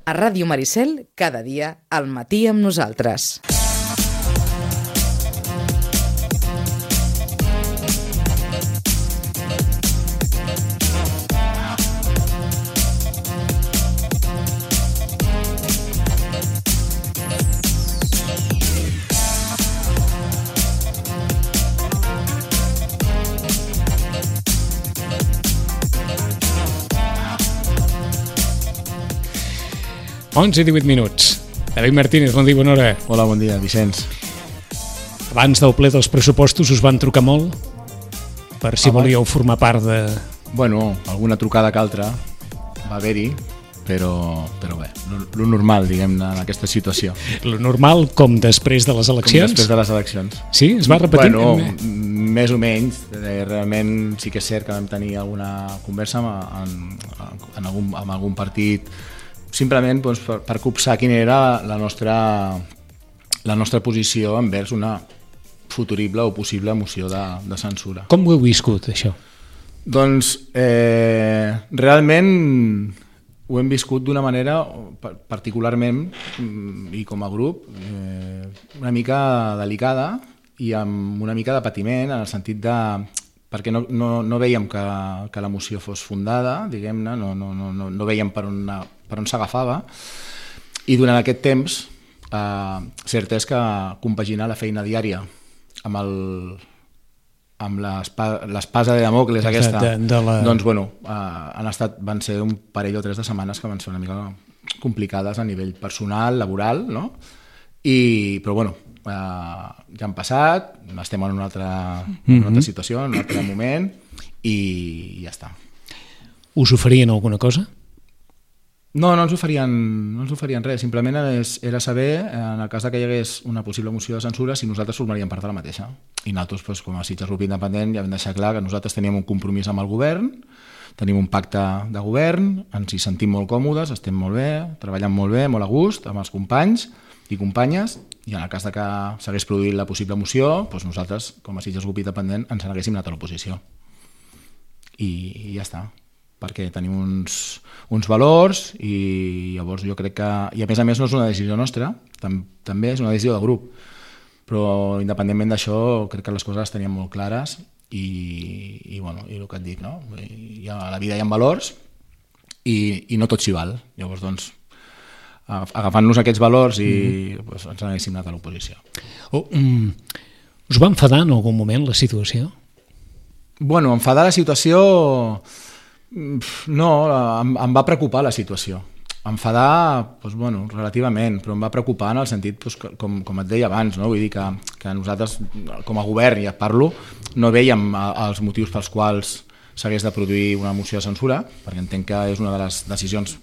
A Ràdio Maricel, cada dia, al matí amb nosaltres. Onze i 18 minuts. David Martínez, bon dia, bona hora. Hola, bon dia, Vicenç. Abans del ple dels pressupostos us van trucar molt per si volíeu formar part de... Bueno, alguna trucada que altra va haver-hi, però bé, lo normal, diguem-ne, en aquesta situació. Lo normal, com després de les eleccions? Com després de les eleccions. Sí? Es va repetint? Bueno, més o menys. Realment sí que és cert que vam tenir alguna conversa amb algun partit, simplement doncs, per copsar quina era la nostra posició envers una futurible o possible moció de censura. Com ho heu viscut, això? Doncs realment ho hem viscut d'una manera particularment i com a grup una mica delicada i amb una mica de patiment en el sentit de... perquè no veiem que la moció fos fundada, diguem-ne, no veiem per on s'agafava, i durant aquest temps cert és que compaginar la feina diària amb l'espasa de Damocles aquesta, doncs bueno, van ser un parell o 3 de setmanes que van ser una mica complicades a nivell personal, laboral, no? Però bueno, ja han passat, estem en una altra situació, en un altre moment, i ja està. Us oferien alguna cosa? No ens oferien res, simplement era saber, en el cas que hi hagués una possible moció de censura, si nosaltres formaríem part de la mateixa. I nosaltres, com a Sitges Grup Independent, ja vam deixar clar que nosaltres teníem un compromís amb el govern, tenim un pacte de govern, ens hi sentim molt còmodes, estem molt bé, treballant molt bé, molt a gust, amb els companys i companyes, i en el cas que s'hagués produït la possible moció, doncs nosaltres, com a Sitges Grup Independent, ens n'haguéssim anat a l'oposició. I ja està, perquè tenim uns valors i llavors jo crec que... I a més no és una decisió nostra, també és una decisió del grup, però independentment d'això crec que les coses les teníem molt clares i el que et dic, no? A la vida hi ha valors i no tot s'hi val. Llavors, doncs, agafant-nos aquests valors i ens n'haguéssim anat a l'oposició. Us va enfadar en algun moment la situació? Bueno, enfadar la situació... No, em va preocupar la situació. Enfadar, doncs, bueno, relativament, però em va preocupar en el sentit, doncs, com et deia abans, no? Vull dir que nosaltres, com a govern, ja parlo, no veiem els motius pels quals s'hagués de produir una moció de censura, perquè entenc que és una de les decisions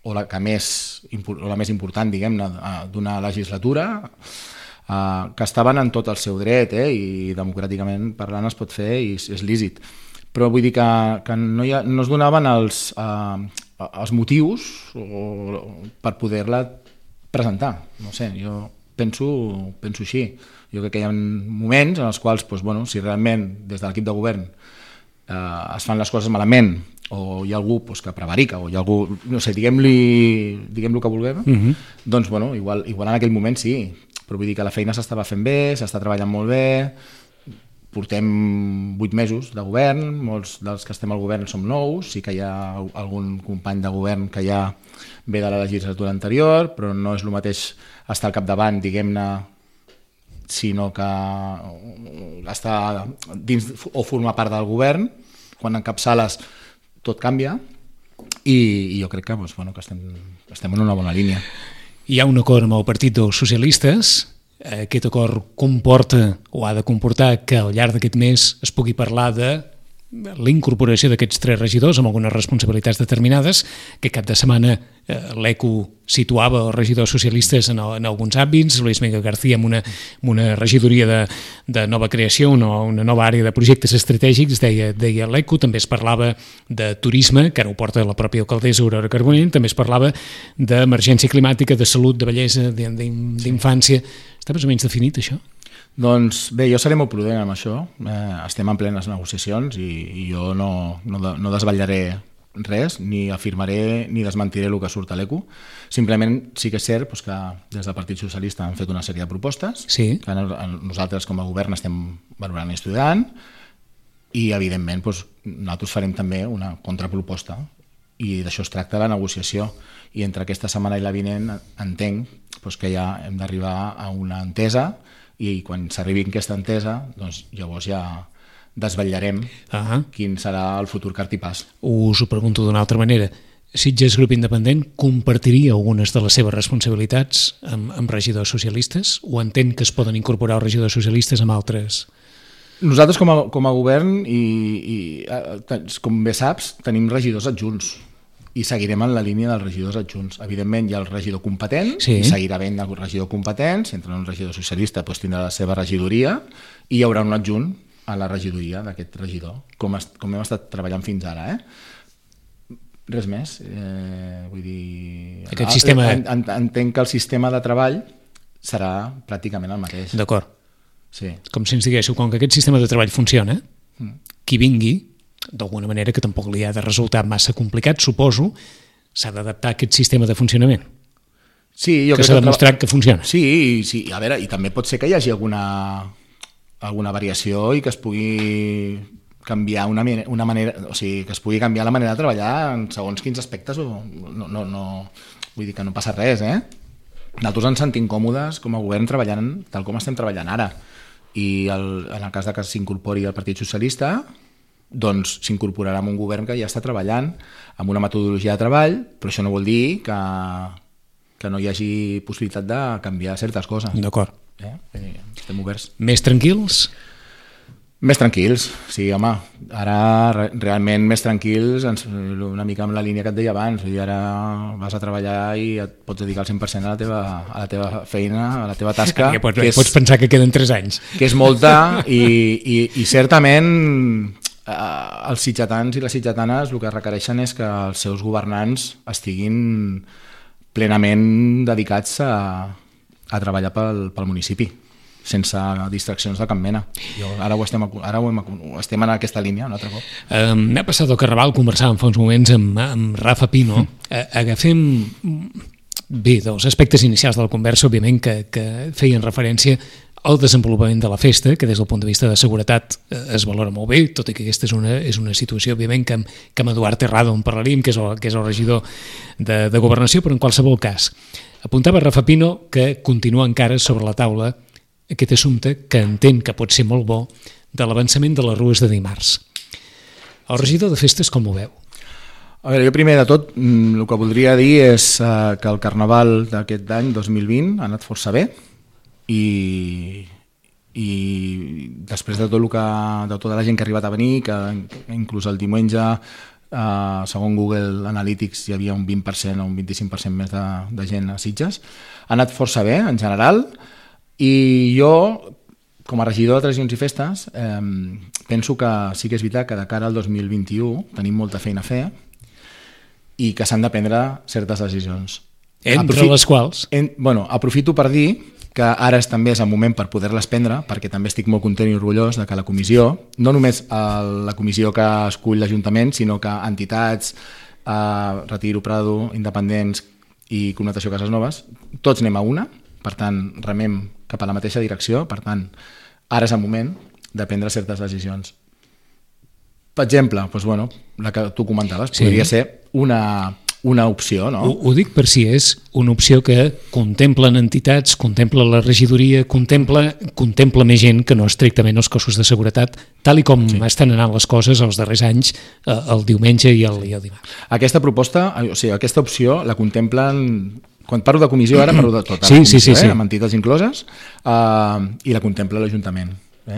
o la més important, diguem-ne, d'una legislatura, que estaven en tot el seu dret, i democràticament parlant es pot fer i és lícit. Però vull dir que no es donaven els motius per poder-la presentar. No sé, jo penso així. Jo crec que hi ha moments en els quals, doncs, bueno, si realment des de l'equip de govern es fan les coses malament o hi ha algú que prevarica o hi ha algú, no sé, diguem-li que vulguem, doncs bueno, igual en aquell moment sí, però vull dir que la feina s'estava fent bé, s'està treballant molt bé, portem 8 mesos de govern, molts dels que estem al govern som nous, sí que hi ha algun company de govern que ja ve de la legislatura anterior, però no és el mateix estar al capdavant, diguem-ne, sinó que estar dins o formar part del govern. Quan encapçales tot canvia i jo crec que estem en una bona línia. Hi ha un acord amb el Partit dels Socialistes. Aquest acord comporta o ha de comportar que al llarg d'aquest mes es pugui parlar de la incorporació d'aquests 3 regidors amb algunes responsabilitats determinades, que cap de setmana l'ECO situava els regidors socialistes en alguns àmbits, Luis Miguel García amb una regidoria de nova creació, una nova àrea de projectes estratègics, deia l'ECO. També es parlava de turisme, que ara ho porta la pròpia alcaldessa Aurora Carbonell, també es parlava d'emergència climàtica, de salut, de bellesa, d'infància. Està més o menys definit, això? Doncs bé, jo seré molt prudent amb això. Estem en plenes negociacions i jo no desvetllaré res, ni afirmaré ni desmentiré el que surt a l'ECU. Simplement sí que és cert que des del Partit Socialista han fet una sèrie de propostes que nosaltres com a govern estem valorant i estudiant, i evidentment nosaltres farem també una contraproposta, i d'això es tracta la negociació, i entre aquesta setmana i la vinent entenc que ja hem d'arribar a una entesa, i quan s'arribi a aquesta entesa llavors ja desvetllarem quin serà el futur cartipàs. Us ho pregunto d'una altra manera. Sitges Grup Independent compartiria algunes de les seves responsabilitats amb regidors socialistes, o entén que es poden incorporar els regidors socialistes amb altres? Nosaltres com a govern i com bé saps tenim regidors adjunts i seguirem en la línia dels regidors adjunts. Evidentment hi ha el regidor competent, i seguirà havent el regidor competent. Si entra un regidor socialista tindrà la seva regidoria i hi haurà un adjunt a la regidoria d'aquest regidor, com hem estat treballant fins ara. Res més. Vull dir, aquest sistema... Entenc que el sistema de treball serà pràcticament el mateix. D'acord. Sí. Com si ens diguéssiu, com que aquest sistema de treball funciona, qui vingui, d'alguna manera que tampoc li ha de resultar massa complicat, suposo, s'ha d'adaptar a aquest sistema de funcionament. Sí, que s'ha demostrat que funciona. Sí, a veure, i també pot ser que hi hagi alguna variació i que es pugui canviar una manera, o sigui, que es pugui canviar la manera de treballar en segons quins aspectes, no, vull dir que no passa res, Nosaltres ens sentim còmodes com a govern treballant tal com estem treballant ara, i en el cas que s'incorpori el Partit Socialista, doncs s'incorporarà en un govern que ja està treballant amb una metodologia de treball, però això no vol dir que no hi hagi possibilitat de canviar certes coses. D'acord. Estem oberts. Més tranquils? Més tranquils, sí, home. Ara realment més tranquils, una mica amb la línia que et deia abans. Ara vas a treballar i et pots dedicar al 100% a la teva feina, a la teva tasca. Pots pensar que queden 3 anys. Que és molta, i certament els sitgetans i les sitgetanes el que requereixen és que els seus governants estiguin plenament dedicats a treballar pel municipi, sense distraccions de cap mena. Ara estem en aquesta línia un altre cop. M'ha passat al Carnaval, conversàvem fa uns moments amb Rafa Pino. Agafem bé dels aspectes inicials de la conversa, òbviament, que feien referència al desenvolupament de la festa, que des del punt de vista de seguretat es valora molt bé, tot i que aquesta és una situació, òbviament, que amb Eduard Terrado en parlaríem, que és el regidor de Governació, però en qualsevol cas. Apuntava Rafa Pino que continua encara sobre la taula aquest assumpte, que entén que pot ser molt bo, de l'avançament de les rues de dimarts. El regidor de festes com ho veu? A veure, jo primer de tot el que voldria dir és que el Carnaval d'aquest any, 2020, ha anat força bé, i després de tota la gent que ha arribat a venir, que inclús el diumenge, segons Google Analytics, hi havia un 20% o un 25% més de gent a Sitges, ha anat força bé en general. I jo, com a regidor de tradicions i festes, penso que sí que és veritat que de cara al 2021 tenim molta feina a fer i que s'han de prendre certes decisions. Entre les quals? Aprofito per dir que ara també és el moment per poder-les prendre, perquè també estic molt content i orgullós de que la comissió, no només la comissió que escull l'Ajuntament, sinó que entitats, Retiro, Prado, Independents i Connotació Cases Noves, tots anem a una, per tant, remem cap a la mateixa direcció, per tant, ara és el moment de prendre certes decisions. Per exemple, la que tu comentaves, podria ser una opció, no? Ho dic per si és una opció que contemplen entitats, contempla la regidoria, contempla més gent que no estrictament els cossos de seguretat, tal i com estan anant les coses els darrers anys, el diumenge i el dimarts. Aquesta proposta, o sigui, aquesta opció la contemplen... Quan parlo de comissió, ara parlo de tota la comissió, amb entitats incloses, i la contempla l'Ajuntament.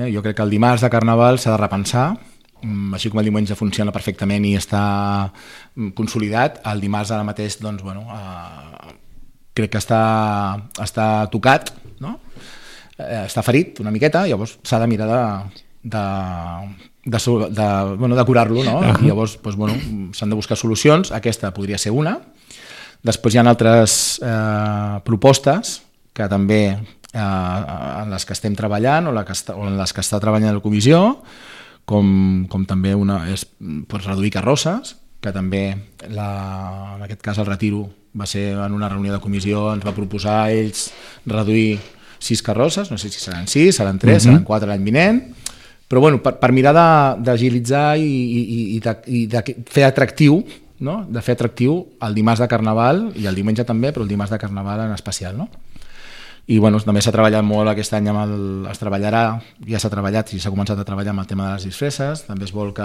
Jo crec que el dimarts de Carnaval s'ha de repensar, així com el diumenge funciona perfectament i està consolidat, el dimarts ara mateix crec que està tocat, no? Està ferit una miqueta, llavors s'ha de mirar de curar-lo, no? I llavors s'han de buscar solucions, aquesta podria ser una. Després hi ha altres propostes que també en les que estem treballant o en les que està treballant la comissió, com també una és reduir carrosses, que també en aquest cas el retiro va ser en una reunió de comissió, ens va proposar ells reduir 6 carrosses, no sé si seran 6, seran 3, seran 4 l'any vinent, però bueno, per mirar d'agilitzar i de fer atractiu, no? De fer atractiu el dimarts de Carnaval i el diumenge també, però el dimarts de Carnaval en especial, no? I bueno, també s'ha treballat molt aquest any es treballarà, ja s'ha treballat i s'ha començat a treballar amb el tema de les disfresses, també es vol que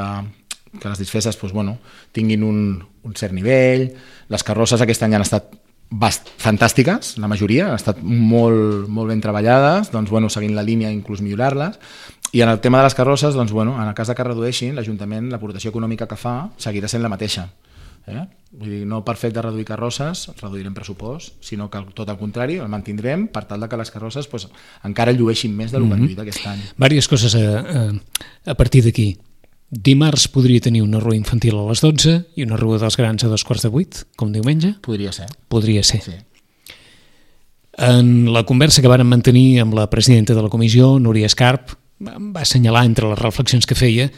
les disfresses doncs, bueno, tinguin un cert nivell, les carrosses aquest any han estat fantàstiques, la majoria, han estat molt, molt ben treballades, doncs, bueno, seguint la línia inclús millorar-les, i en el tema de les carrosses, doncs, bueno, en el cas de que redueixin, l'Ajuntament, l'aportació econòmica que fa seguirà sent la mateixa. Vull dir, no per fet de reduir carrosses reduirem pressupost, sinó que tot el contrari el mantindrem per tal que les carrosses pues, encara llueixin més del que han lluït aquest any. Vàries coses a partir d'aquí. Dimarts podria tenir una rua infantil a les 12 i una rua dels grans a 7:15, com diumenge? Podria ser. Podria ser. Sí. En la conversa que vàrem mantenir amb la presidenta de la comissió, Núria Escarp, va assenyalar entre les reflexions que feia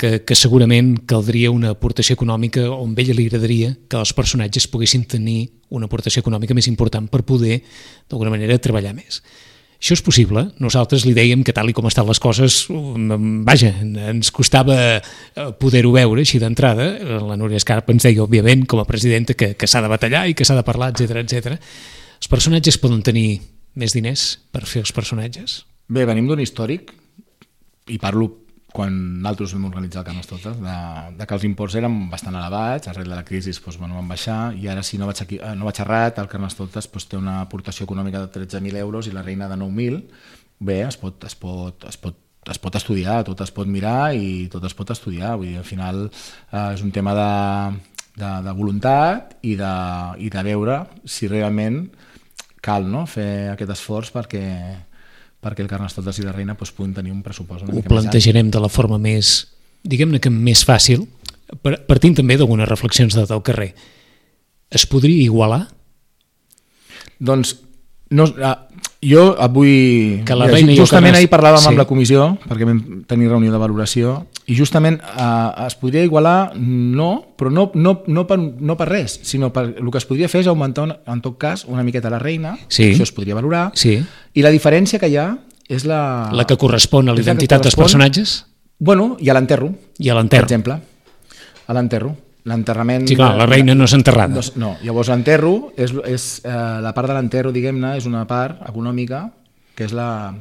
que segurament caldria una aportació econòmica on a ella li agradaria que els personatges poguessin tenir una aportació econòmica més important per poder, d'alguna manera, treballar més. Això és possible. Nosaltres li dèiem que tal i com estan les coses, vaja, ens costava poder-ho veure així d'entrada. La Núria Escarp ens deia, òbviament, com a presidenta, que s'ha de batallar i que s'ha de parlar, etc. Els personatges poden tenir més diners per fer els personatges? Bé, venim d'un històric, i parlo quan nosaltres vam organitzar el Carnestoltes, de que els imports eren bastant elevats, arrel de la crisi doncs, bueno, van baixar, i ara si no vaig errat, el Carnestoltes doncs, té una aportació econòmica de 13.000 euros i la reina de 9.000. Bé, es pot estudiar, tot es pot mirar i tot es pot estudiar. Vull dir, al final és un tema de voluntat i de veure si realment cal, no? Fer aquest esforç perquè el Carnestoltes i la reina doncs, puguin tenir un pressupost una mica més alt. Ho plantejarem de la forma més, diguem-ne que més fàcil, partint també d'algunes reflexions del carrer. Es podria igualar? Doncs no, jo avui... Que la reina justament ahir parlàvem amb la comissió, perquè vam tenir reunió de valoració, i justament es podria igualar, no, però no per res, sinó per el que es podria fer és augmentar, en tot cas, una miqueta la reina, sí. Això es podria valorar, sí. I la diferència que hi ha és la... La que correspon a l'identitat dels personatges? Bueno, i a l'enterro. I a l'enterro. Per exemple, a l'enterro. L'enterrament... Sí, clar, la reina no és enterrada. No, llavors l'enterro, la part de l'enterro, diguem-ne, és una part econòmica que és la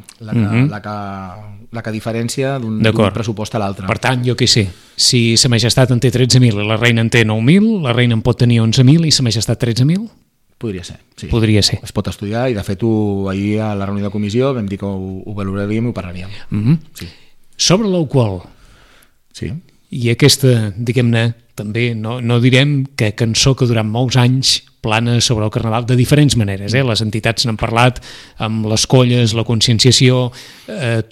que diferència d'un pressupost a l'altre. Per tant, jo què sé, si Sa Majestat en té 13.000 i la reina en té 9.000, la reina en pot tenir 11.000 i Sa Majestat 13.000? Podria ser, sí. Podria ser. Es pot estudiar i de fet ahir a la reunió de comissió vam dir que ho valoraríem i ho parlaríem. Sí. Sobre l'alcohol. Sí. I aquesta, diguem-ne, també, no direm que cançó que durant molts anys plana sobre el Carnaval de diferents maneres. Les entitats n'han parlat, amb les colles, la conscienciació,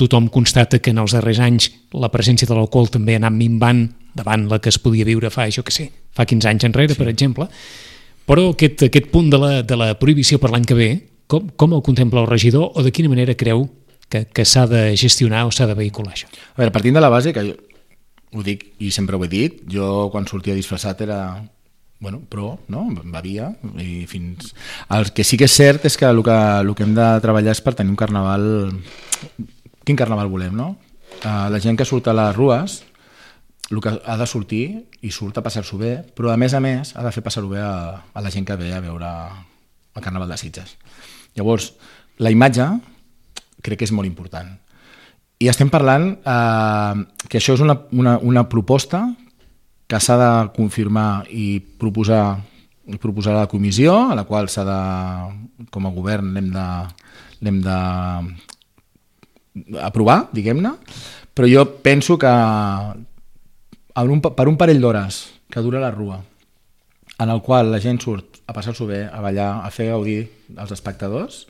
tothom constata que en els darrers anys la presència de l'alcohol també ha anat minvant davant la que es podia viure fa 15 anys enrere, per exemple. Però aquest punt de la prohibició per l'any que ve, com el contempla el regidor o de quina manera creu que s'ha de gestionar o s'ha de vehicular això? A veure, partint de la base, que jo ho dic i sempre ho he dit, jo quan sortia disfressat era, pro, no? Bevia i fins... El que sí que és cert és que el que hem de treballar és per tenir un carnaval... Quin carnaval volem, no? La gent que surt a les rues, el que ha de sortir i surt a passar-s'ho bé, però a més ha de fer passar-ho bé a la gent que ve a veure el Carnaval de Sitges. Llavors, la imatge crec que és molt important. I estem parlant que això és una proposta que s'ha de confirmar i proposar a la comissió, a la qual com a govern l'hem d'aprovar, diguem-ne, però jo penso que per un parell d'hores que dura la rua, en el qual la gent surt a passar-s'ho bé, a ballar, a fer gaudir als espectadors,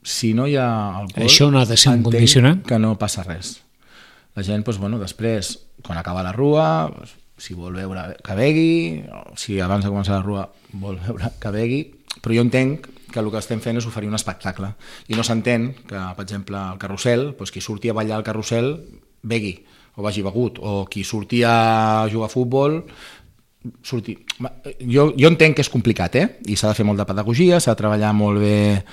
si no hi ha alcohol, això no ha de ser un condicionant? Que no passa res. La gent, després, quan acaba la rua, si vol beure, que begui, o si abans de començar la rua vol beure, que begui, però jo entenc que el que estem fent és oferir un espectacle. I no s'entén que, per exemple, al carrusel, qui surti a ballar al carrusel begui, o vagi begut, o qui surti a jugar a futbol sortir... Jo entenc que és complicat, i s'ha de fer molt de pedagogia, s'ha de treballar molt bé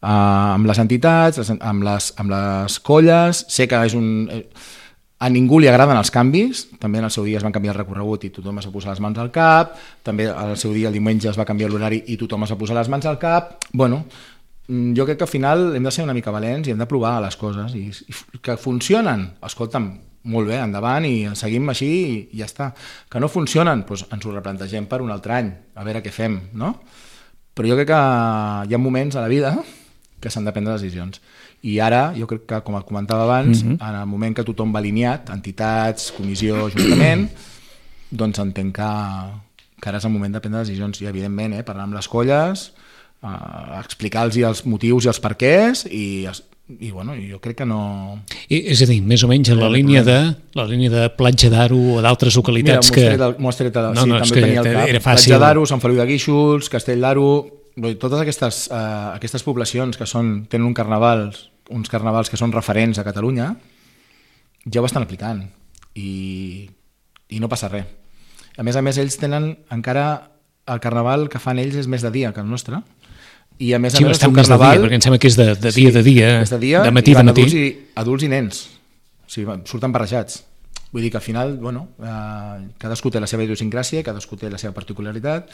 amb les entitats, amb les colles. Sé que a ningú li agraden els canvis, també en el seu dia es van canviar el recorregut i tothom es va posar les mans al cap, també al seu dia el diumenge es va canviar l'horari i tothom es va posar les mans al cap. Bueno, jo crec que al final hem de ser una mica valents i hem de provar les coses i que funcionen, escolta'm, molt bé, endavant i seguim així i ja està. Que no funcionen, doncs ens ho replantegem per un altre any, a veure què fem, no? Però jo crec que hi ha moments a la vida que s'han de prendre decisions. I ara, jo crec que, com comentava abans, en el moment que tothom va alineat, entitats, comissió, ajuntament, doncs entenc que ara és el moment de prendre decisions. I, evidentment, parlar amb les colles, explicar-los els motius i els perquès i bueno, jo crec que no... És a dir, més o menys en la línia de Platja d'Aro o d'altres localitats que... Mira, m'ho has tret, sí, també tenia el cap. Platja d'Aro, Sant Feliu de Guíxols, Castell d'Aro... Totes aquestes poblacions que tenen uns carnavals que són referents a Catalunya, ja ho estan aplicant i no passa res. A més, ells tenen encara el carnaval que fan ells és més de dia que el nostre. I a més el seu carnaval... Perquè em sembla que és de dia, de matí de matí. Adults i nens, o sigui, surten barrejats. Vull dir que al final, bueno, cadascú té la seva idiosincràsia, cadascú té la seva particularitat,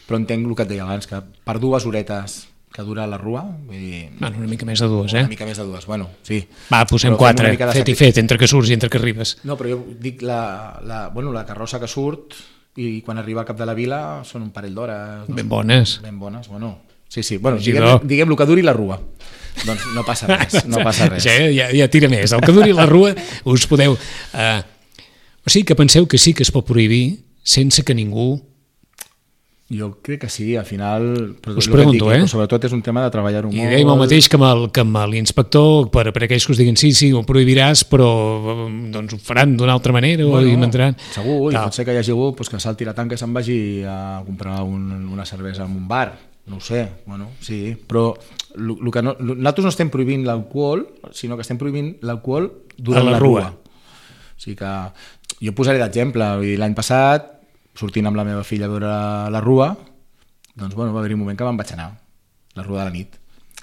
però entenc el que et deia abans, que per 2 horetes que dura la rua... Vull dir, bueno, una mica més de 2, Una mica més de 2, bueno, sí. Va, posem 4, fet, entre que surts i entre que arribes. No, però jo dic la carrossa que surt i quan arriba al cap de la vila són un parell d'hores. Ben bones. Ben bones, bueno... Sí, bueno, diguem el que duri la rua. Doncs no passa res, no passa res. Ja tira més. El que duri la rua us podeu... O sigui que penseu que sí que es pot prohibir sense que ningú... Jo crec que sí, al final... Us pregunto, però sobretot és un tema de treballar-ho molt. I dèiem el mateix que amb l'inspector, per aquells que us diguin sí, ho prohibiràs, però doncs ho faran d'una altra manera o inventaran... Segur, i pot ser que hi hagi algú que salti la tanca i se'n vagi a comprar una cervesa en un bar. No ho sé, bueno, sí, però nosaltres no estem prohibint l'alcohol, sinó que estem prohibint l'alcohol durant la rua. O sigui que jo posaré d'exemple, l'any passat, sortint amb la meva filla a veure la rua, doncs bueno, va haver-hi un moment que me'n vaig anar, la rua de la nit,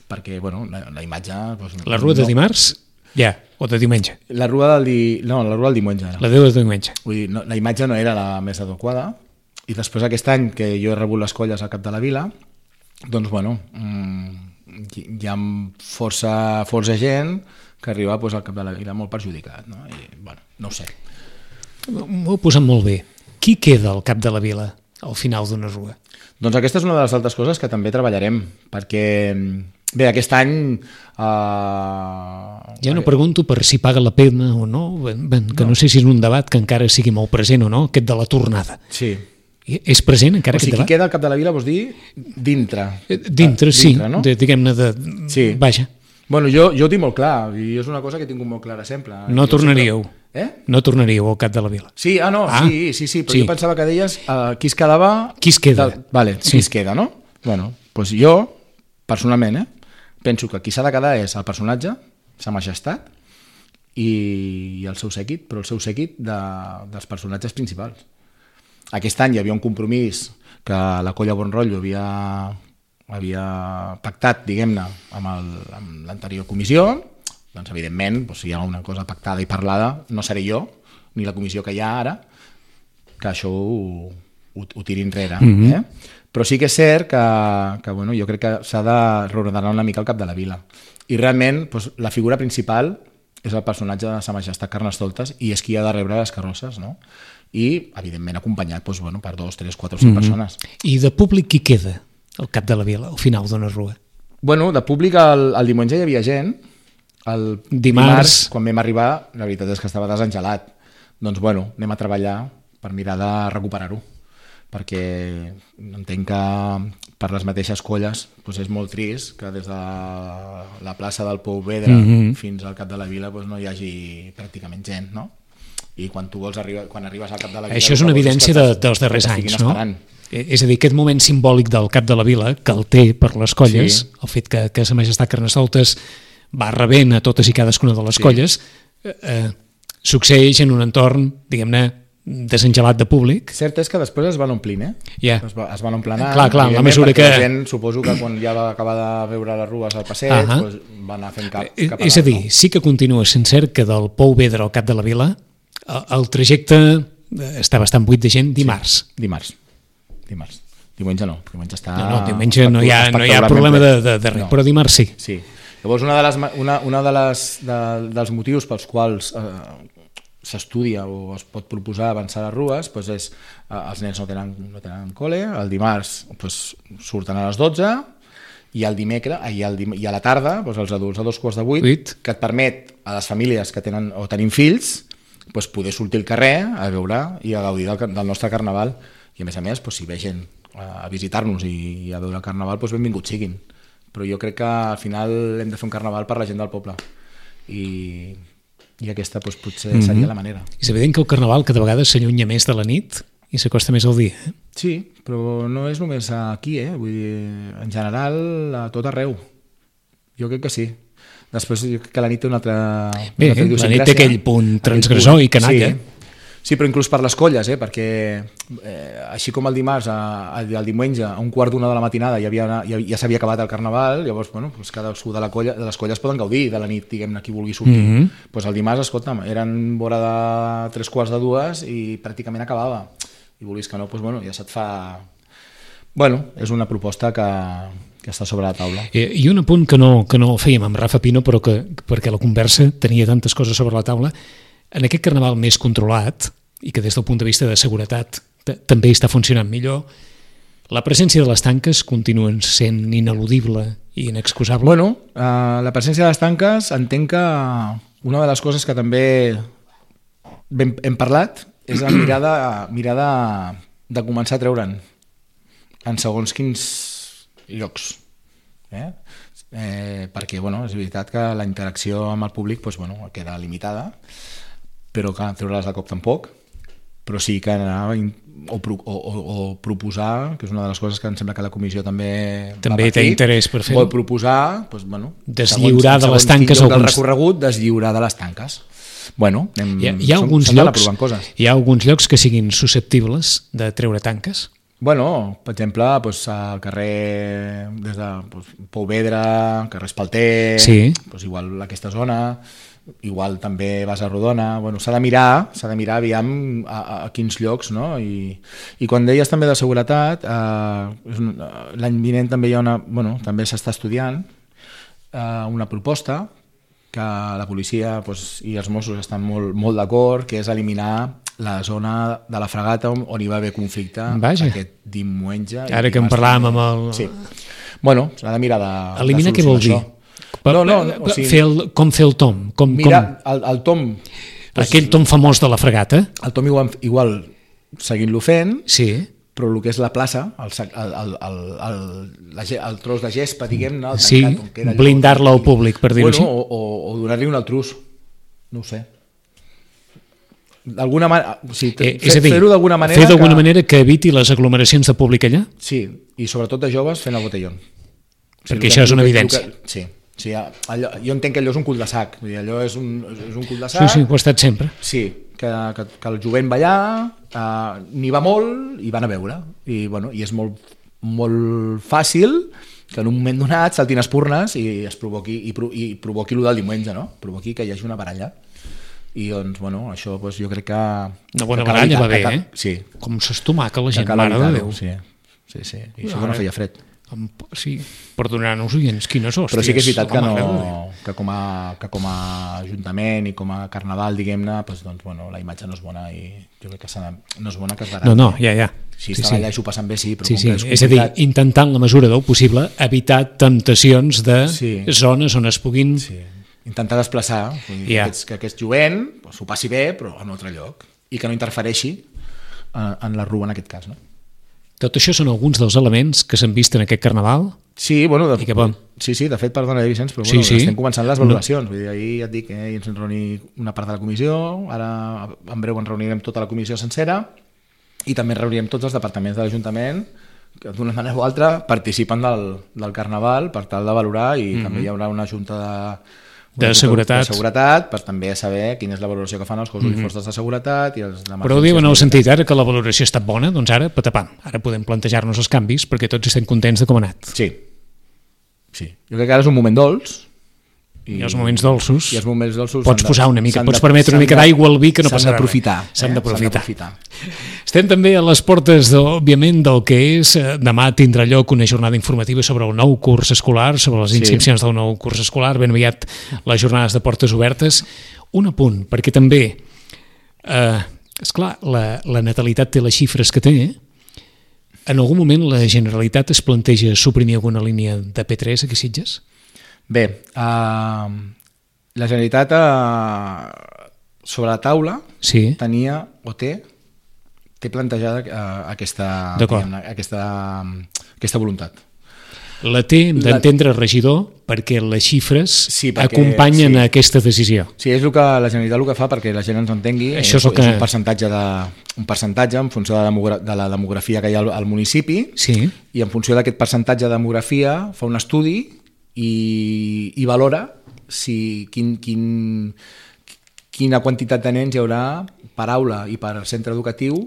perquè bueno, la imatge... Doncs, la rua de dimarts? Ja, o de diumenge? La rua del diumenge. La de diumenge. Vull dir, la imatge no era la més adequada, i després aquest any que jo he rebut les colles al cap de la vila, doncs bueno, hi ha força gent que arriba al cap de la vila molt perjudicat, no? I bueno, no ho sé. M'ho he posat molt bé. Qui queda al cap de la vila al final d'una rua? Doncs aquesta és una de les altres coses que també treballarem, perquè bé, aquest any... Ja no pregunto per si paga la pena o no, que no sé si és un debat que encara sigui molt present o no, aquest de la tornada. Sí. És present encara aquest debat? O sigui, qui queda al cap de la vila vols dir dintre. Dintre, sí, no? Diguem-ne de... Sí. Vaja. Bueno, jo ho tinc molt clar, i és una cosa que he tingut molt clara sempre. No tornaríeu. No tornaríeu al cap de la vila. Sí, sí, però jo pensava que deies qui es quedava... Qui es queda. Vale, qui es queda, no? Bueno, doncs jo, personalment, penso que qui s'ha de quedar és el personatge, sa majestat, i el seu séquit, però el seu séquit dels personatges principals. Aquest any hi havia un compromís que la colla Bon Rotllo havia pactat, diguem-ne, amb l'anterior comissió. Doncs, evidentment, si hi ha una cosa pactada i parlada, no seré jo, ni la comissió que hi ha ara, que això ho tiri enrere. Però sí que és cert que bueno, jo crec que s'ha de reordenar una mica el cap de la vila. I realment, la figura principal és el personatge de Sa Majestat Carnestoltes i és qui ha de rebre les carrosses, no? I, evidentment, acompanyat per 2, 3, 4 o 5 persones. I de públic qui queda al cap de la vila, al final d'una rua? Bueno, de públic el diumenge hi havia gent, el dimarts, quan vam arribar, la veritat és que estava desengelat. Doncs, bueno, anem a treballar per mirar de recuperar-ho, perquè entenc que per les mateixes colles és molt trist que des de la plaça del Pou Vedre fins al cap de la vila no hi hagi pràcticament gent, no? I quan tu vols quan arribes al cap de la vila... Això és una evidència dels darrers anys, no? És a dir, aquest moment simbòlic del cap de la vila, que el té per les colles, el fet que Sa Majestat Carnestoltes va rebent a totes i cadascuna de les colles, succeeix en un entorn, diguem-ne, desengelat de públic. Cert és que després es van omplint, Ja. Es van emplenant. Clar, en la mesura que... La gent, suposo que quan ja va acabar de veure les rues al passeig, doncs va anar fent cap a És a dir, sí que continua sent cert que del Pou Vedra al Cap de la Vila el trajecte està bastant buit de gent dimarts. Sí, dimarts. Diumenge no, diumenge està... No, diumenge no hi ha problema de res, no. Però dimarts sí. Sí. Llavors, dels motius pels quals s'estudia o es pot proposar avançar les rues doncs és, els nens no tenen col·le, el dimarts doncs, surten a les 12 i el dimecres i a la tarda doncs, els adults a 2:45, que et permet a les famílies que tenen o tenim fills doncs, poder sortir al carrer a veure i a gaudir del nostre carnaval, i a més doncs, si ve gent a visitar-nos i a veure el carnaval, doncs benvinguts siguin, però jo crec que al final hem de fer un carnaval per la gent del poble i aquesta doncs, potser seria la manera. És evident que el carnaval cada vegada s'allunya més de la nit i s'acosta més al dia. Sí, però no és només aquí, vull dir, en general a tot arreu. Jo crec que sí. Després jo crec que la nit té una altra... Bé, la nit té aquell punt transgressor i canalla. Sí, però inclús per les colles, perquè així com el dimarts, el diumenge, a 1:15 de la matinada ja s'havia acabat el carnaval, llavors doncs cadascú de les colles poden gaudir de la nit, diguem-ne, qui vulgui sortir. Doncs el dimarts, escolta'm, eren vora de 3:15 i pràcticament acabava. I volies que no, doncs ja se't fa... És una proposta que està sobre la taula. I un apunt que no fèiem amb Rafa Pino, però perquè la conversa tenia tantes coses sobre la taula. En aquest carnaval més controlat, i que des del punt de vista de seguretat també està funcionant millor, la presència de les tanques continua sent ineludible i inexcusable? La presència de les tanques, entenc que una de les coses que també hem parlat és la mirada de començar a treure'n en segons quins llocs. Perquè és veritat que la interacció amb el públic queda limitada, però que treure-les de cop tampoc, però sí que anar o proposar, que és una de les coses que em sembla que la comissió també té interès per fer-ho, vol proposar deslliurar de les tanques del recorregut, deslliurar de les tanques. Hi ha alguns llocs que siguin susceptibles de treure tanques? Per exemple, al carrer des de Pou Vedra, carrer Espalter, igual aquesta zona, igual també vas a Rodona, s'ha de mirar aviam a quins llocs, no? I quan deies també de seguretat, l'any vinent també hi ha també s'està estudiant una proposta que la policia i els Mossos estan molt d'acord, que és eliminar la zona de la Fragata on hi va haver conflicte aquest diumenge. Ara que en parlàvem amb el... Sí. S'ha de mirar de eliminar què vol dir? Com fer el tom? Mira, el tom... Aquell tom famós de la Fragata? El tom igual seguint-lo fent, sí, però el que és la plaça, el tros de gespa, diguem-ne, blindar-la al públic, per dir-ho així. O donar-li un altrús, no ho sé. D'alguna manera, fer-ho d'alguna manera... Fer d'alguna manera que eviti les aglomeracions de públic allà? Sí, i sobretot de joves fent el botellón. Perquè això és una evidència. Sí, jo entenc que allò és un cul de sac, allò és un cul de sac. Sí, ho ha estat sempre. Sí, que el jovent va allà, n'hi va molt i van a veure, i és molt fàcil que en un moment donat saltin espurnes i es provoqui el del diumenge, no? Provoqui que hi hagi una baralla. I això jo crec que... Una bona baralla va bé, Sí. Com s'estomaca la gent, mare de Déu. Sí. I això que no feia fred. Sí, perdonar-nos oients, quines hòsties. Però sí que és veritat que com a ajuntament i com a carnaval, diguem-ne, la imatge no és bona i jo crec que no és bona que es baralli. No, ja. Si estan allà i s'ho passen bé, sí, però com que és complicat... És a dir, intentant la mesura del possible evitar temptacions de zones on es puguin... Intentar desplaçar, que aquest jovent s'ho passi bé, però en un altre lloc, i que no interfereixi en la rua en aquest cas, no? Tot això són alguns dels elements que s'han vist en aquest carnaval? Sí, de fet, perdona, Vicenç, però estem començant les valoracions. Vull dir, ahir ja et dic, ens hem reunit una part de la comissió, ara en breu ens reunirem tota la comissió sencera i també reunirem tots els departaments de l'Ajuntament que d'una manera o altra participen del carnaval per tal de valorar i també hi haurà una junta De seguretat. De seguretat, per també saber quina és la valoració que fan els cossos i forces de seguretat i els Però ho diu en el sentit, ara que la valoració ha estat bona, doncs ara, patapam, ara podem plantejar-nos els canvis perquè tots estem contents de com ha anat. Sí. Jo crec que ara és un moment dolç. I els moments dolços, I els moments dolços pots posar una mica, pots permetre una mica d'aigua al vi que no passarà res. S'han d'aprofitar. Estem també a les portes, òbviament, del que és. Demà tindrà lloc una jornada informativa sobre el nou curs escolar, sobre les inscripcions del nou curs escolar, ben aviat les jornades de portes obertes. Un apunt, perquè també, esclar, la natalitat té les xifres que té. En algun moment la Generalitat es planteja suprimir alguna línia de P3 aquí a Sitges? Bé, la Generalitat sobre la taula tenia o té plantejada aquesta voluntat. La té, hem d'entendre, regidor, perquè les xifres acompanyen aquesta decisió. Sí, és el que la Generalitat el que fa perquè la gent ens entengui. Això és un percentatge en funció de la demografia que hi ha al municipi i en funció d'aquest percentatge de demografia fa un estudi i valora quina quantitat de nens hi haurà per aula i per centre educatiu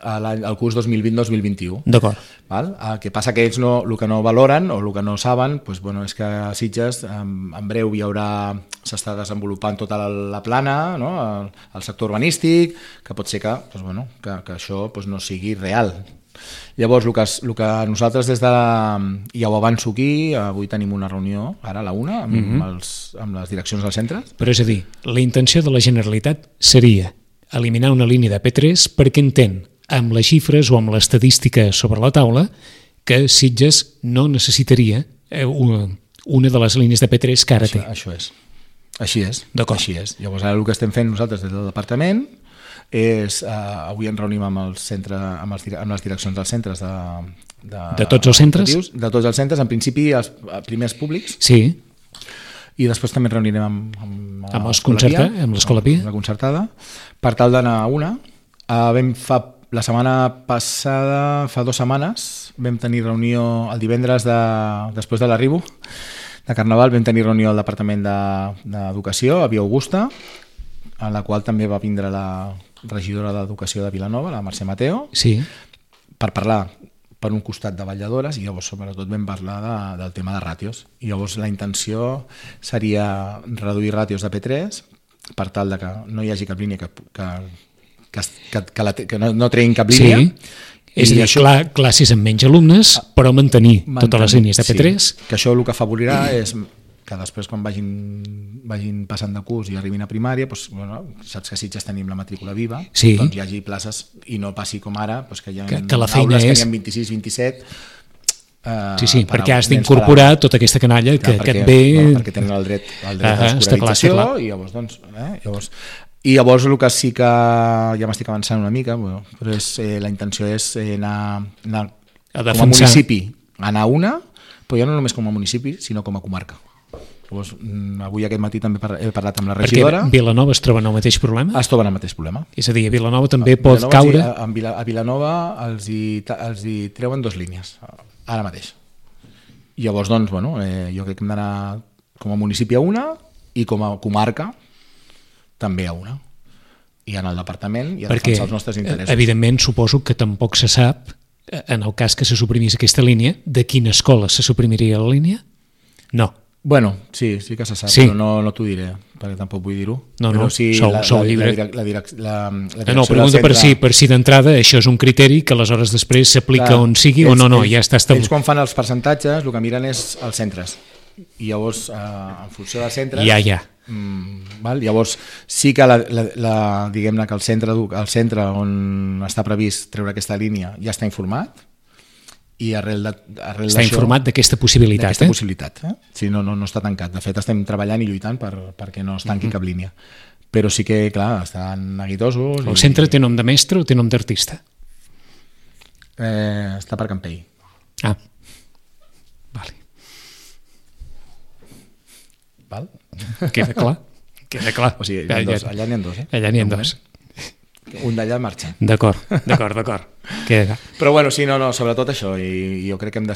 al curs 2020-2021. D'acord. El que passa que ells el que no valoren o el que no saben és que a Sitges en breu s'està desenvolupant tota la plana, el sector urbanístic, que pot ser que això no sigui real. Llavors, el que nosaltres ja ho avanço aquí, avui tenim una reunió, ara a la 1, amb les direccions dels centres. Però és a dir, la intenció de la Generalitat seria eliminar una línia de P3 perquè entén, amb les xifres o amb l'estadística sobre la taula, que Sitges no necessitaria una de les línies de P3 que ara té. Això és. Així és. D'acord. Així és. Llavors, ara el que estem fent nosaltres des del departament és, avui ens reunim amb les direccions dels centres de tots els centres? De tots els centres, en principi els primers públics. Sí. I després també ens reunirem amb l'Escola Pia, la concertada, per tal d'anar a una. La setmana passada, fa 2 setmanes, vam tenir reunió el divendres després de l'arribo de Carnaval, vam tenir reunió al Departament d'Educació, a Via Augusta, en la qual també va vindre la regidora d'Educació de Vilanova, la Mercè Mateo, per parlar per un costat de vetlladores i llavors sobretot vam parlar del tema de ràtios. I llavors la intenció seria reduir ràtios de P3 per tal de que no hi hagi cap línia que no treguin cap línia. És a dir, classes amb menys alumnes, però mantenir totes les línies de P3. Que això el que afavorirà és que després quan vagin passant de curs i arribin a primària, saps que a Sitges tenim la matrícula viva, doncs hi hagi places i no passi com ara, que hi ha aules que n'hi ha 26, 27... perquè has d'incorporar tota aquesta canalla que et ve... Perquè tenen el dret a l'escolarització i llavors... I llavors el que sí que ja m'estic avançant una mica, però la intenció és anar com a municipi, anar a una, però ja no només com a municipi, sinó com a comarca. Llavors, avui aquest matí també he parlat amb la regidora. Perquè Vilanova es troba en el mateix problema? Es troba en el mateix problema. És a dir, a Vilanova també pot caure... A Vilanova els hi treuen 2 línies, ara mateix. I llavors, doncs, jo crec que hem d'anar com a municipi a una i com a comarca també a una. I en el departament i a defensar els nostres interessos. Perquè, evidentment, suposo que tampoc se sap, en el cas que se suprimís aquesta línia, de quina escola se suprimiria la línia? No. Bueno, sí que se sap, però no t'ho diré, perquè tampoc vull dir-ho. No, sou llibre. No, pregunta per si d'entrada això és un criteri que aleshores després s'aplica on sigui o no, ja està establert. Ells quan fan els percentatges el que miren és els centres. I llavors, en funció dels centres... Llavors, sí que diguem-ne que el centre on està previst treure aquesta línia ja està informat, i arrel està informat d'aquesta possibilitat. Sí, no està tancat. De fet, estem treballant i lluitant perquè no es tanqui cap línia. Però sí que, clar, estan neguitosos. El centre té nom de mestre o té nom d'artista? Està per Campell. Vale. Val? Queda clar. O sigui, allà n'hi ha 2. Allà n'hi ha 2. Un d'allà marxa. D'acord. Però bueno, sí, sobretot això, i jo crec que hem de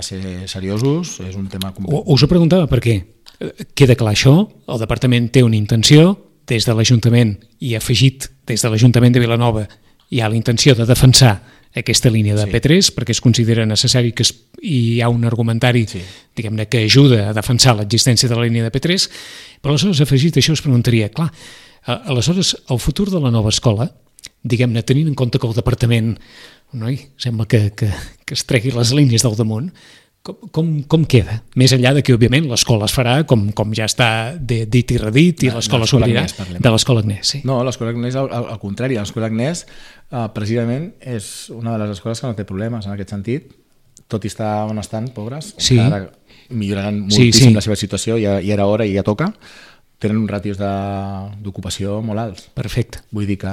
ser seriosos, és un tema complicat. Us ho preguntava perquè Queda clar això, el departament té una intenció, des de l'Ajuntament i afegit des de l'Ajuntament de Vilanova hi ha la intenció de defensar aquesta línia de P3 perquè es considera necessari que hi ha un argumentari diguem-ne que ajuda a defensar l'existència de la línia de P3, però aleshores afegit això es preguntaria, clar, aleshores el futur de la nova escola, diguem-ne tenint en compte que el departament sembla que es tregui les línies del damunt, com queda? Més enllà de que, òbviament, l'escola es farà com ja està dit i redit i l'escola s'obrirà de l'escola Agnès. Sí. No, l'escola Agnès, al contrari, l'escola Agnès precisament és una de les escoles que no té problemes en aquest sentit, tot i estar on estan, pobres, que ara milloraran moltíssim la seva situació, ja era hora i ja toca, tenen uns ràtios d'ocupació molt alts. Perfecte. Vull dir que...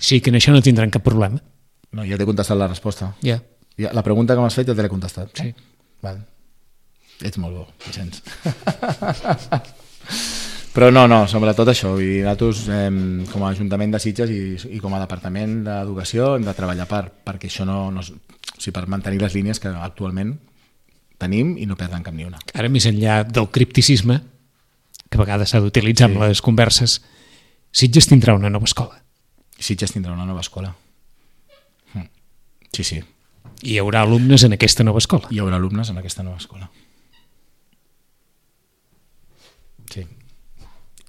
Sí, que en això no tindran cap problema. No, ja t'he contestat la resposta. Ja. La pregunta que m'has fet ja te l'he contestat. Sí. Val. Ets molt bo, Vicenç. Però no, sobretot això. Nosaltres, com a Ajuntament de Sitges i com a Departament d'Educació, hem de treballar perquè això per mantenir les línies que actualment tenim i no perdran cap ni una. Ara, més enllà del cripticisme, que a vegades s'ha d'utilitzar en les converses, Sitges tindrà una nova escola. Sitges tindrà una nova escola. Sí. I hi haurà alumnes en aquesta nova escola. Hi haurà alumnes en aquesta nova escola. Sí.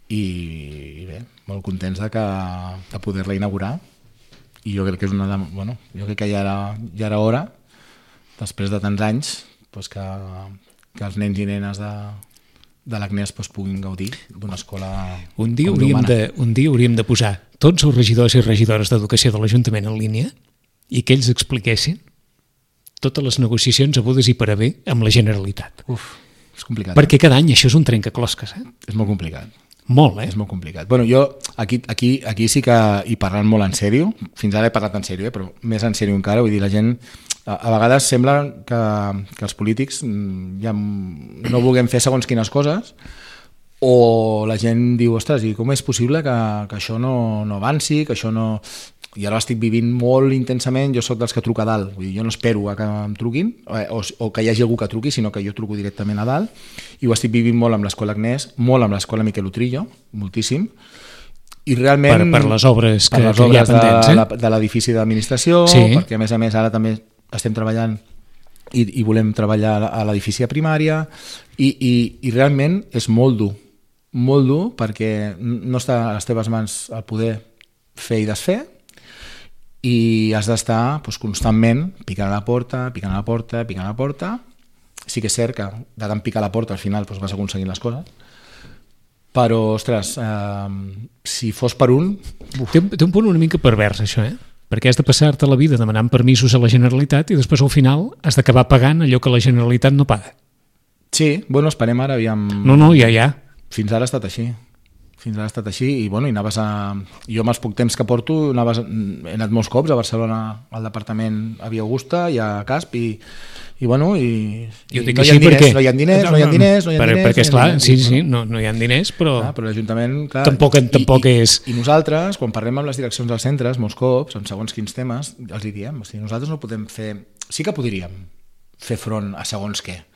I bé, molt contents de poder-la inaugurar. I jo crec que és jo crec que ja era hora, després de tants anys, que els nens i nenes de l'Agnès puguin gaudir d'una escola un dia hauríem de posar tots els regidors i regidores d'Educació de l'Ajuntament en línia i que ells expliquessin totes les negociacions hagudes i per haver amb la Generalitat. És complicat. Perquè cada any això és un trencaclosques. És molt complicat. Molt, És molt complicat. Bueno, jo aquí sí que hi parlant molt en sèrio, fins ara he parlat en sèrio, però més en sèrio encara, vull dir, la gent a vegades sembla que els polítics ja no vulguem fer segons quines coses, o la gent diu, ostres, i com és possible que això no avanci, que això no... I ara l'estic vivint molt intensament, jo sóc dels que truca a dalt, vull dir, jo no espero a que em truquin o que hi hagi algú que truqui, sinó que jo truco directament a dalt, i ho estic vivint molt amb l'Escola Agnès, molt amb l'Escola Miquel Utrillo, moltíssim, i realment... Per les obres que hi ha pendents, de l'edifici d'administració, perquè a més ara també estem treballant i volem treballar a l'edifici de primària, i realment és molt dur perquè no està a les teves mans el poder fer i desfer, i has d'estar constantment picant a la porta. Sí que és cert que de tant picar a la porta al final vas aconseguint les coses, però, ostres, si fos per un... Té un punt una mica pervers, això, perquè has de passar-te la vida demanant permisos a la Generalitat i després al final has d'acabar pagant allò que la Generalitat no paga. Sí, esperem ara, aviam... No, ja. Fins ara ha estat així. I anaves jo amb els poc temps que porto he anat molts cops a Barcelona, al departament a Via Augusta i a Casp i no hi ha diners perquè esclar, no hi ha diners, però l'Ajuntament tampoc és... I nosaltres, quan parlem amb les direccions dels centres, molts cops, en segons quins temes, els diem, nosaltres no podem fer... Sí que podríem fer front a segons què,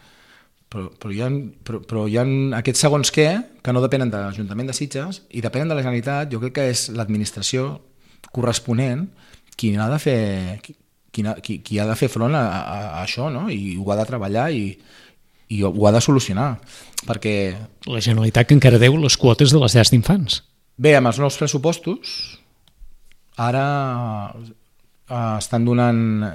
però hi ha aquests segons què que no depenen de l'Ajuntament de Sitges i depenen de la Generalitat. Jo crec que és l'administració corresponent qui ha de fer front a això, no? I ho ha de treballar i ho ha de solucionar, perquè... La Generalitat que encara deu les quotes de les llars d'infants. Bé, amb els nous pressupostos ara estan donant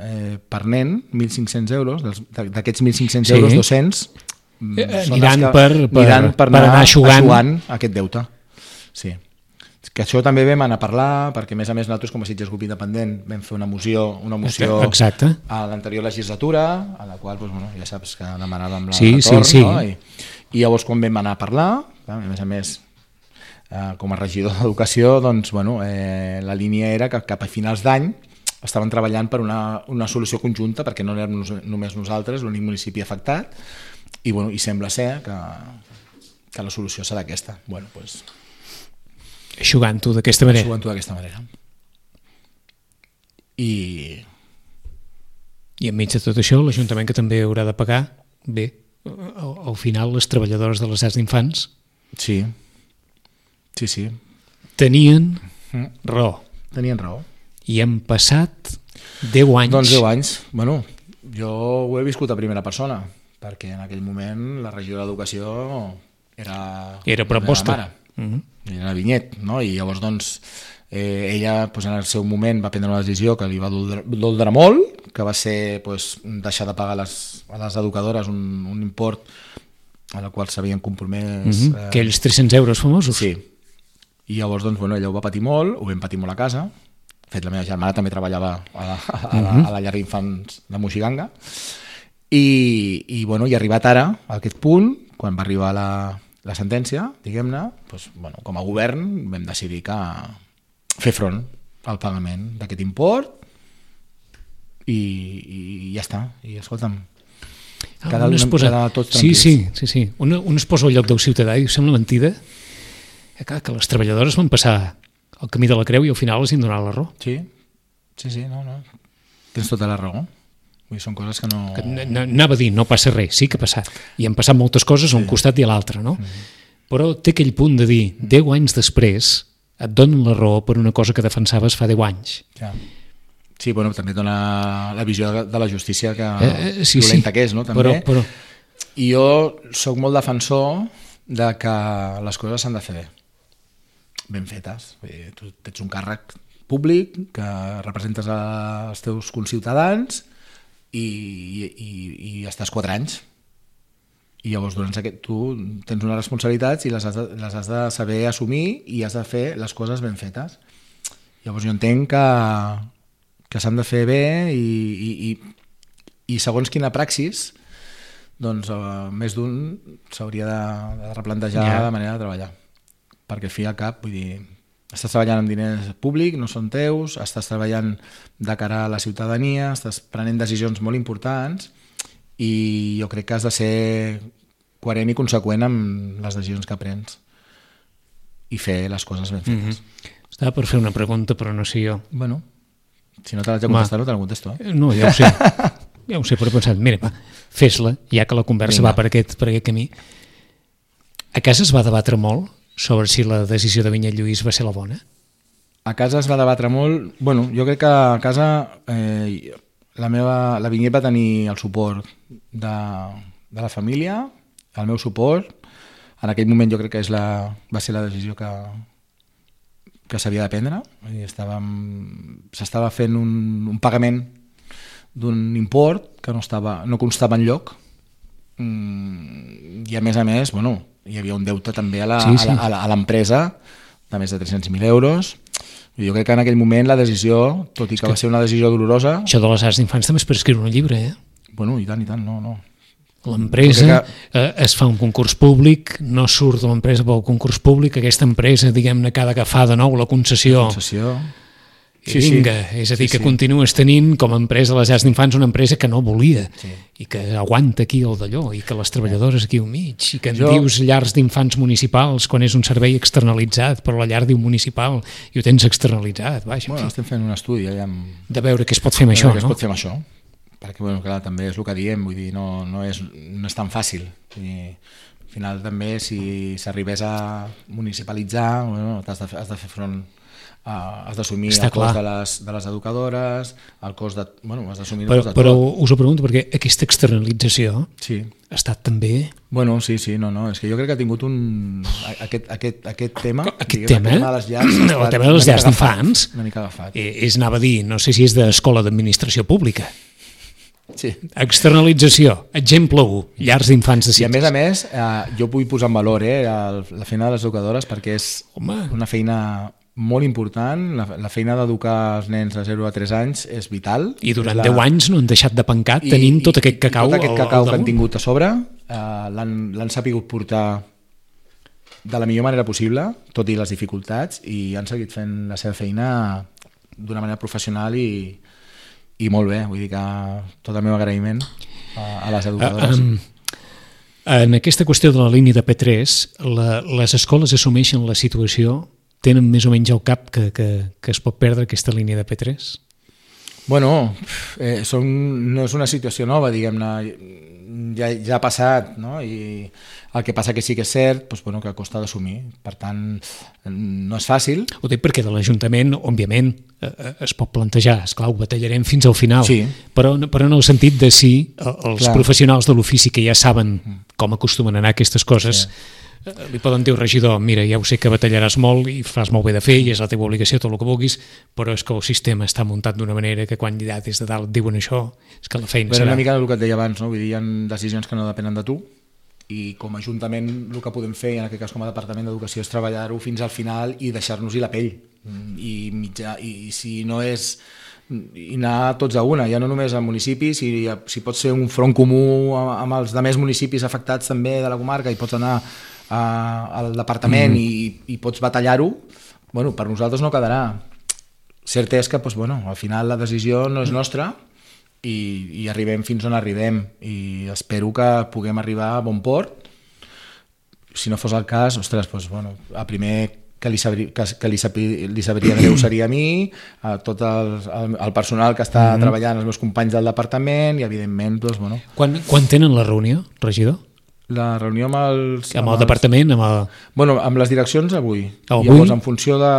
per nen 1.500 euros, d'aquests 1.500 euros 200 aniran per anar eixugant aquest deute. Sí. Que això també vam anar a parlar, perquè a més nosaltres com a Sitges Grup Independent vam fer una moció Exacte. A l'anterior legislatura, a la qual ja saps que demanàvem la retorn, no? I llavors quan vam anar a parlar, a més com a regidor d'Educació, la línia era que cap a finals d'any estaven treballant per una solució conjunta, perquè no érem només nosaltres l'únic municipi afectat, i sembla ser que la solució serà aquesta. Eixugant-ho d'aquesta manera. I enmig de tot això, l'Ajuntament, que també haurà de pagar, bé, al final les treballadores de les llars d'infants Sí. tenien raó. Tenien raó. I han passat 10 anys. Doncs 10 anys. Bueno, jo ho he viscut a primera persona, perquè en aquell moment la regió d'Educació era Era prop vostre. la mare. Era Vinyet, no? I llavors, doncs, ella en el seu moment va prendre una decisió que li va doldre molt, que va ser deixar de pagar a les educadores un import a la qual s'havien compromès. Aquells 300 euros famosos. Sí. I llavors, doncs, ella ho va patir molt, ho vam patir molt a casa. De fet, la meva germana també treballava a la llar d'infants de Moixiganga. I arribat ara, a aquest punt, quan va arribar la sentència, diguem-ne, com a govern vam decidir que fer front al pagament d'aquest import i ja està. I escolta'm, cada tots tranquils. Sí. Un es posa al lloc del ciutadà i sembla mentida que les treballadores van passar el camí de la creu i al final els han donat la raó. Sí, no. Tens tota la raó. Són coses que no... Anava a dir, no passa res, sí que ha passat. I han passat moltes coses a un costat i a l'altre, no? Però té aquell punt de dir, 10 anys després et donen la raó per una cosa que defensaves fa 10 anys. Ja. Sí, també dona la visió de la justícia que violenta que és, no? També. Però... I jo sóc molt defensor de que les coses s'han de fer ben fetes. Tu ets un càrrec públic que representes els teus conciutadans i estàs 4 anys. I llavors tu tens unes responsabilitats i les has de saber assumir i has de fer les coses ben fetes. Llavors jo entenc que s'han de fer bé i segons quina praxis, doncs més d'un s'hauria de replantejar la manera de treballar. Perquè al fi i al cap, vull dir, estàs treballant amb diners públics, no són teus, estàs treballant de cara a la ciutadania, estàs prenent decisions molt importants i jo crec que has de ser coherent i conseqüent amb les decisions que prens i fer les coses ben fetes. Estava per fer una pregunta, però no sé jo. Bueno, si no te l'haig de contestar, no te la contesto. No, ja ho sé. Ja ho sé, però he pensat, mira, fes-la, ja que la conversa va per aquest camí. A casa es va debatre molt sobre si la decisió de Vinyet Lluís va ser la bona? A casa es va debatre molt. Bueno, jo crec que a casa la Vinyet va tenir el suport de la família, el meu suport. En aquell moment jo crec que va ser la decisió que s'havia de prendre. S'estava fent un pagament d'un import que no constava enlloc i a més, hi havia un deute també a l'empresa de més de 300.000 euros. Jo crec que en aquell moment la decisió, tot i que va ser una decisió dolorosa... Això de les llars d'infants també és per escriure un llibre, Bueno, i tant, no. L'empresa es fa un concurs públic, no surt de l'empresa pel concurs públic, aquesta empresa, diguem-ne, que ha d'agafar de nou la concessió. I vinga, és a dir, que continues tenint com a empresa de les llars d'infants una empresa que no volia i que aguanta aquí el d'allò i que les treballadores aquí al mig i que en dius llars d'infants municipals quan és un servei externalitzat, però la llar diu municipal i ho tens externalitzat. Bueno, estem fent un estudi de veure què es pot fer amb això, no? Què es pot fer amb això, perquè clar, també és el que diem, vull dir, no és tan fàcil. Al final també si s'arribés a municipalitzar, has de fer front, has d'assumir el cost de les educadores, el cost de... has d'assumir el cost de tot. Però us ho pregunto perquè aquesta externalització ha estat també... Bueno, sí, no, és que jo crec que ha tingut aquest tema... Aquest tema? El tema de les llars d'infants una mica agafat. Anava a dir, no sé si és d'escola d'administració pública. Sí. Externalització, exemple 1, llars d'infants de Sitges. I a més, jo vull posar en valor la feina de les educadores perquè és una feina molt important. La feina d'educar els nens de 0 a 3 anys és vital. I durant 10 anys no han deixat de pencar tenint tot aquest cacau. Tot aquest cacau que han tingut a sobre l'han sapigut portar de la millor manera possible, tot i les dificultats, i han seguit fent la seva feina d'una manera professional i molt bé. Vull dir que tot el meu agraïment a les educadores. En aquesta qüestió de la línia de P3, les escoles assumeixen la situació, tenen més o menys al cap que es pot perdre aquesta línia de P3? Bueno, no és una situació nova, diguem-ne, ja ha passat, no? I el que passa que sí que és cert, doncs, bueno, que costa d'assumir. Per tant, no és fàcil. Ho dic perquè de l'Ajuntament, òbviament, es pot plantejar, esclar, ho batallarem fins al final, sí. però en el sentit de si els professionals de l'ofici que ja saben com acostumen a anar aquestes coses, li poden dir al regidor, mira, ja ho sé que batallaràs molt i fas molt bé de fer i és la teva obligació, tot el que vulguis, però és que el sistema està muntat d'una manera que quan ja des de dalt diuen això, és que la feina serà... Una mica el que et deia abans, no? Vull dir, hi ha decisions que no depenen de tu i com a Ajuntament el que podem fer, en aquest cas com a Departament d'Educació, és treballar-ho fins al final i deixar-nos-hi la pell. I si no és... i anar tots a una, ja no només a municipis, si pot ser un front comú amb els altres municipis afectats també de la comarca i pots anar al departament i pots batallar-ho, bueno, per nosaltres no quedarà. Cert és que doncs, bueno, al final la decisió no és nostra i arribem fins on arribem i espero que puguem arribar a bon port. Si no fos el cas, ostres, doncs, bueno, el primer que li sabria greu seria a mi, a tot el personal que està treballant, els meus companys del departament i evidentment, doncs, bueno. Quan tenen la reunió, regidor? La reunió amb el departament? Bueno, amb les direccions avui. Llavors, en funció de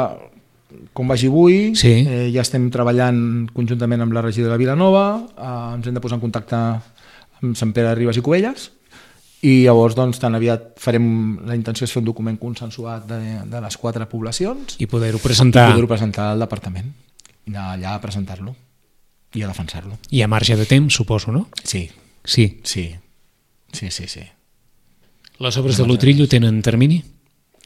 com vagi avui, ja estem treballant conjuntament amb la regidora de Vilanova, ens hem de posar en contacte amb Sant Pere de Ribes i Cubelles i llavors doncs, tan aviat la intenció és fer un document consensuat de les 4 poblacions i poder-ho presentar al departament i anar allà a presentar-lo i a defensar-lo. Hi ha marge de temps, suposo, no? Sí. Les obres de l'Utrillo tenen termini?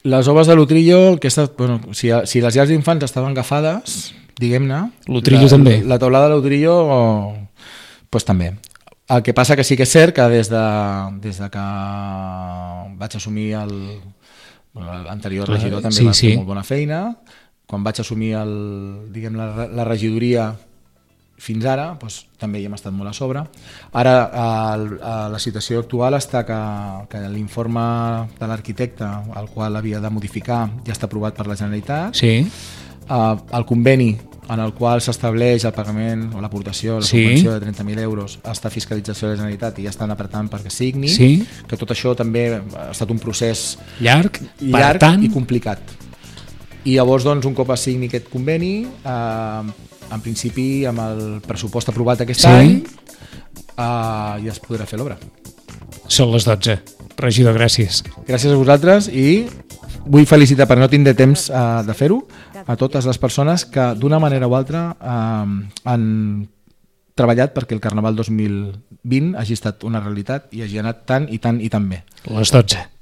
Les obres de l'Utrillo, bueno, si les llars d'infants estaven agafades, diguem-ne, l'Utrillo també. La teulada de l'Utrillo pues, també. El que passa que sí que és cert que des de que vaig assumir l'anterior regidor també va fer molt bona feina, quan vaig assumir la regidoria fins ara, doncs, també hi hem estat molt a sobre. Ara la situació actual està que l'informe de l'arquitecte, el qual havia de modificar, ja està aprovat per la Generalitat. Sí. El conveni en el qual s'estableix el pagament o l'aportació, la subvenció de 30.000 euros, està a fiscalització de la Generalitat i ja estan apretant perquè signi, que tot això també ha estat un procés llarg i complicat. I llavors, doncs, un cop es signi aquest conveni, en principi, amb el pressupost aprovat aquest any, ja es podrà fer l'obra. Són les 12. Regidor, gràcies. Gràcies a vosaltres i vull felicitar, perquè no tindré temps de fer-ho, a totes les persones que d'una manera o altra han treballat perquè el Carnaval 2020 hagi estat una realitat i hagi anat tan i tan i tan bé. Les 12.